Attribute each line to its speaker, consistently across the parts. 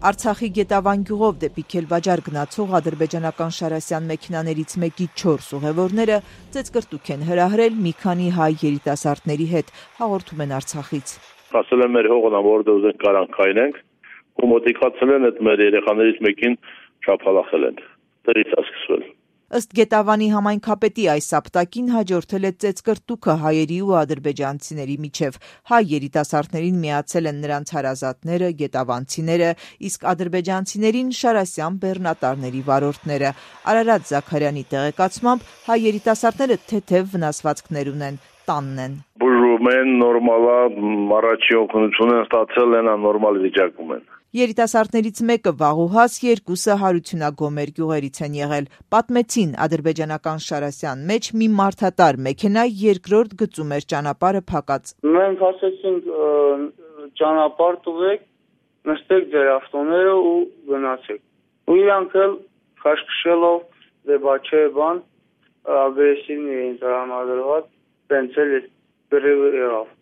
Speaker 1: Արցախի Գետավան գյուղով դեպի Քելբաջար գնացող ադրբեջանական Շարասյան մեքենաներից մեկի 4 ուղևորները ծեծկրտուք են հրահրել մի քանի հայ երիտասարդների հետ, հաղորդում են Արցախից։
Speaker 2: Ասել են մեր հողն որտեղ ուզենք կարանք քայնենք, ու մոտիկացել են այդ մեր երեխաներից մեկին շափալախել են։ Դրից է սկսվել։
Speaker 1: Ըստ Գետավանի համայնքապետի այս սապտակին հաջորդել է ծեծկրտուքը հայերի ու ադրբեջանցիների միջև։ Հայ երիտասարդներին միացել են նրանց հարազատները, գետավանցիները, իսկ ադրբեջանցիներին Շարասյան բեռնատարների վարորդները։ Արարատ Զաքարյանի տեղեկացմամբ հայ երիտասարդները թեթև վնասվածքներ ունեն, տանն են։
Speaker 2: Բուժում են, նորմալ է, առաջի օգնություն են ստացել, նորմալ վիճակում են։
Speaker 1: Երիտասարդներից մեկը Վաղուհաս, երկուսը Հարությունագոմեր գյուղերից են եղել։ Պատմեցին ադրբեջանական Շարասյան մեջ մի մարդատար մեքենա երկրորդ գծում էր ճանապարհը փակած։
Speaker 3: Մենք ասեցինք ճանապարհ տվեք, նստեք ձեր ավտոները ու գնացեք։ Ու իրանք էլ խաշքշելով դեպաչեբան ագրեսիվ էին տրամադրված, տենցել գրիվ եղավ։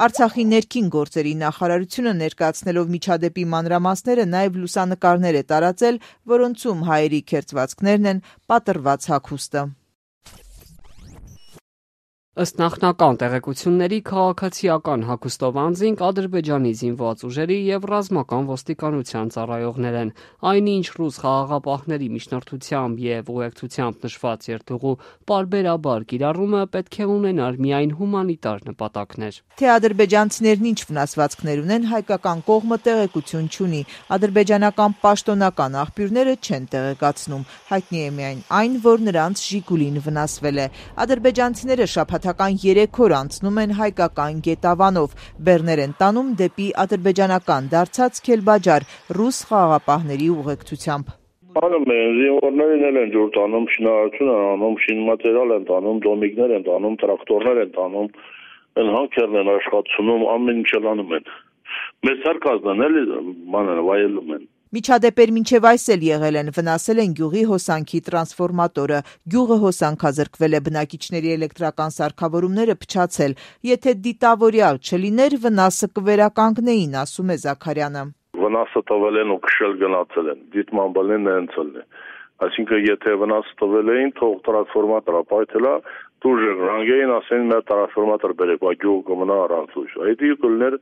Speaker 1: Արցախի ներքին գործերի նախարարությունը ներկայացնելով միջադեպի մանրամասները նաև լուսանկարներ է տարածել, որոնցում հայերի քերծվածքներն են, պատռված հագուստը։
Speaker 4: Ըստ նախնական տեղեկությունների քաղաքացիական հագուստով անձինք Ադրբեջանի զինված ուժերի եւ ռազմական ոստիկանության ծառայողներ են։ Այնինչ ռուս խաղաղապահների միջնորդությամբ եւ ուղեկցությամբ նշված երթուղու պարբերաբար կիրառումը պետք է ունենար միայն հումանիտար նպատակներ։
Speaker 1: Թե ադրբեջանցիներն ինչ վնասվածքներ ունեն, հայկական կողմը տեղեկություն չունի։ Ադրբեջանական պաշտոնական աղբյուրները չեն տեղեկացնում։ Հայտնի է միայն այն, որ նրանց Ժիգուլին վնասվել է։ Ադրբեջանցիները շաբաթական 3 օր անցնում են հայկական Գետավանով, բեռներ են տանում դեպի ադրբեջանական դարձած Քելբաջար ռուս խաղաղապահների ուղեկցությամբ։
Speaker 2: Անում են, զինվորներին են ջուր տանում, շինարարություն են անում, շինմատերիալ են տանում, դոմիկներ են տանում, տրակտորներ են տանում, հանքերն են աշխատացնում, ամեն ինչ անում են։ Մեծ սարկազն էլի վայելում են։
Speaker 1: Միջադեպեր մինչև այս էլ եղել են, վնասել են գյուղի հոսանքի տրանսֆորմատորը, գյուղը հոսանքազրկվել է, բնակիչների էլեկտրական սարքավորումները փչացել։ Եթե դիտավորյալ չլիներ, վնասը կվերականգնեին, ասում է Զաքարյանը։
Speaker 2: Վնասը տվել են ու քշել գնացել են, դիտման բալեն հենցել է։ Այսինքն եթե վնասը տվել էին, թող տրանսֆորմատորը պայթելա, դուրժը ռանգեին ասեն մեր տրանսֆորմատոր բերեք, գյուղը կմնա առանց ուժ։ Այդ իկլներ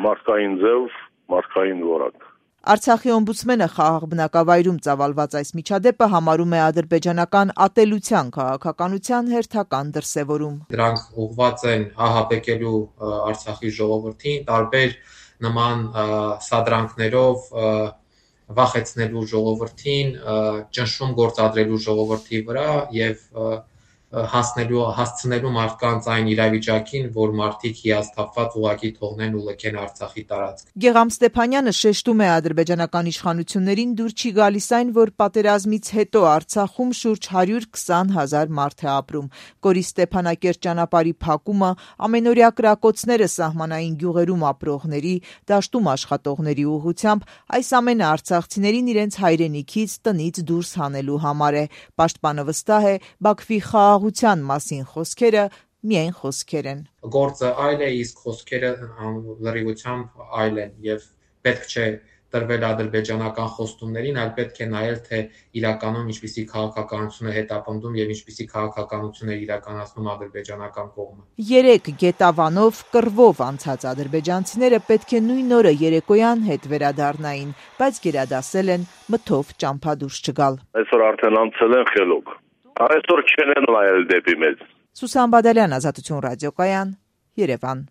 Speaker 2: մարդկային ձև, մարդկային որակ։
Speaker 1: Արցախի օմբուդսմենը խաղաղ բնակավայրում ծավալված այս միջադեպը համարում է ադրբեջանական ատելության քաղաքականության հերթական դրսևորում։
Speaker 5: Դրանք ուղղված են ահաբեկելու Արցախի ժողովրդին, տարբեր նման սադրանքներով վախեցնելու ժողովրդին, ճնշում գործադրելու ժողովրդի վրա եւ հասցնելու մարդկանց այն իրավիճակին, որ մարդիկ հիասթափված ուղղակի թողնեն ու լքեն Արցախի տարածք։
Speaker 1: Գեգամ Ստեփանյանը շեշտում է ադրբեջանական իշխանություններին դուր չի գալիս այն, որ պատերազմից հետո Արցախում շուրջ 120,000 մարդ է ապրում։ Կորի Ստեփանակերտ ճանապարհի փակումը, ամենօրյա կրակոցները սահմանային գյուղերում ապրողների, դաշտում աշխատողների ուղղությամբ, այս ամենը արցախցիներին իրենց հայրենիքից, տնից դուրս հանելու համար է։ Պաշտպանը վստահ է, Բաքվի խաղաղության մասին խոսքերը միայն խոսքեր են։
Speaker 5: Գործը այլ է, իսկ խոսքերը լրիվությամբ այլ են եւ պետք չէ տրվել ադրբեջանական խոստումներին, այլ պետք է նայել, թե իրականում ինչպիսի քաղաքականություն է հետապնդում եւ ինչպիսի քաղաքականություն է իրականացնում ադրբեջանական կողմը։
Speaker 1: 3 Գետավանով կռվով անցած ադրբեջանցիները պետք է նույն օրը երեկոյան հետ վերադառնային, բայց գերադասել են մթով ճամփադուրս չգալ։
Speaker 2: Այսօր արդեն անցել են խելոք։ Այսօր չեն նայել դեպի մեզ։
Speaker 1: Սուսան Բադալյան, Ազատություն ռադիոկայան, Երևան։